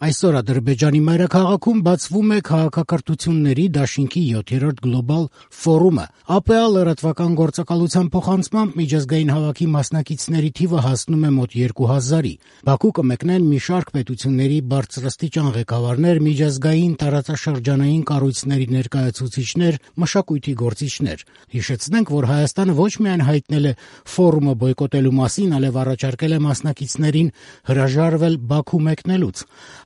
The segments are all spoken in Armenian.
Այսօր Ադրբեջանի մայրաքաղաքում բացվում է քաղաքակրթությունների դաշինքի 7-րդ գլոբալ ֆորումը։ ԱՊԱ լրատվական գործակալության փոխանցմամբ միջազգային հավաքի մասնակիցների թիվը հասնում է մոտ 2000-ի։ Բաքու կմեկնեն մի շարք պետությունների բարձրաստիճան ղեկավարներ, միջազգային տարածաշրջանային կառույցների ներկայացուցիչներ, մշակույթի գործիչներ։ Հիշեցնենք, որ Հայաստանը ոչ միայն հայտնել է ֆորումը բոյկոտելու մասին, այլև առաջարկել է մասնակիցներին հրաժարվել Բաքու մեկնելուց։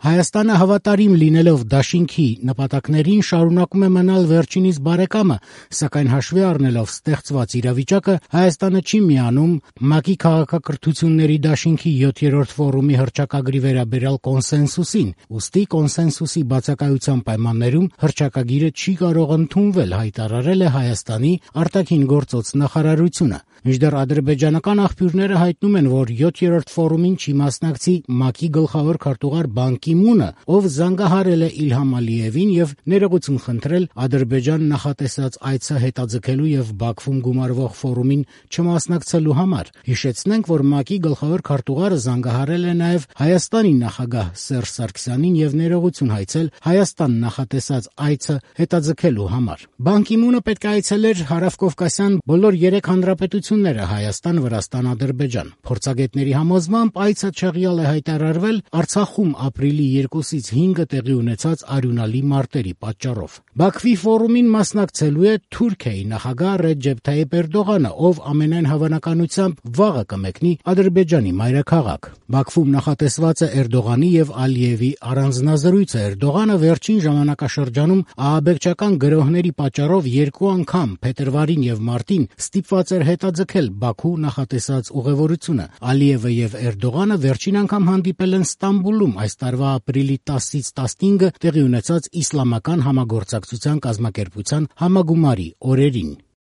Հայաստանը հավատարիմ լինելով դաշինքի նպատակներին շարունակում է մնալ վերջինիս բարեկամը, սակայն հաշվի առնելով ստեղծված իրավիճակը, Հայաստանը չի միանում ՄԱԿ-ի քաղաքակրթությունների դաշինքի 7-րդ ֆորումի հռչակագրի վերաբերյալ կոնսենսուսին, ուստի կոնսենսուսի բացակայության պայմաններում հռչակագիրը չի կարող ընդունվել, հայտարարել է Հայաստանի արտաքին գործոց նախարարությունը։ Մինչդեռ ադրբեջանական աղբյուրները հայտնում են, որ 7-րդ ֆորումին չի մասնակցի ՄԱԿ-ի գլխավոր քարտուղար Բան Կի Մունը, ով զանգահարել է Իլհամ Ալիևին եւ ներողություն խնդրել Ադրբեջան նախատեսած այցը հետաձգելու եւ Բաքվում գումարվող ֆորումին չմասնակցելու համար։ Հիշեցնենք, որ ՄԱԿ-ի գլխավոր քարտուղարը զանգահարել է նաեւ Հայաստանի նախագահ Սերժ Սարգսյանին եւ ներողություն հայցել Հայաստան նախատեսած այցը հետաձգելու համար։ Բան Կի Մունը պետք է այցելեր Հարավկովկասյան բոլոր 3 հանրապետությունները՝ Հայաստան, Վրաստան, Ադրբեջան։ Փորձագետների համոզմամբ այցը չեղյալ է հայտարարվել Արցախում ապրիլի 2-ից 5-ը տեղի ունեցած արյունալի մարտերի պատճառով։ Բաքվի ֆորումին մասնակցելու է Թուրքիայի նախագահ Ռեջեփ Թայիփ Էրդողանը, ով ամենայն հավանականությամբ վաղը կմեկնի Ադրբեջանի մայրաքաղաք։ Բաքվում նախատեսված է Էրդողանի եւ Ալիևի առանձնազրույցը։ Էրդողանը վերջին ժամանակաշրջանում ահաբեկչական գրոհների պատճառով 2 անգամ փետրվարին եւ մարտին ստիպված էր հետաձգել Բաքու նախատեսած ուղևորությունը։ Ալիևը եւ Էրդողանը վերջին անգամ հանդիպել են Ստամբուլում այս տարվա ապրիլի 10-ից 15-ը տեղի ունեցած իսլամական համագործակցության կազմակերպության համագումարի օրերին։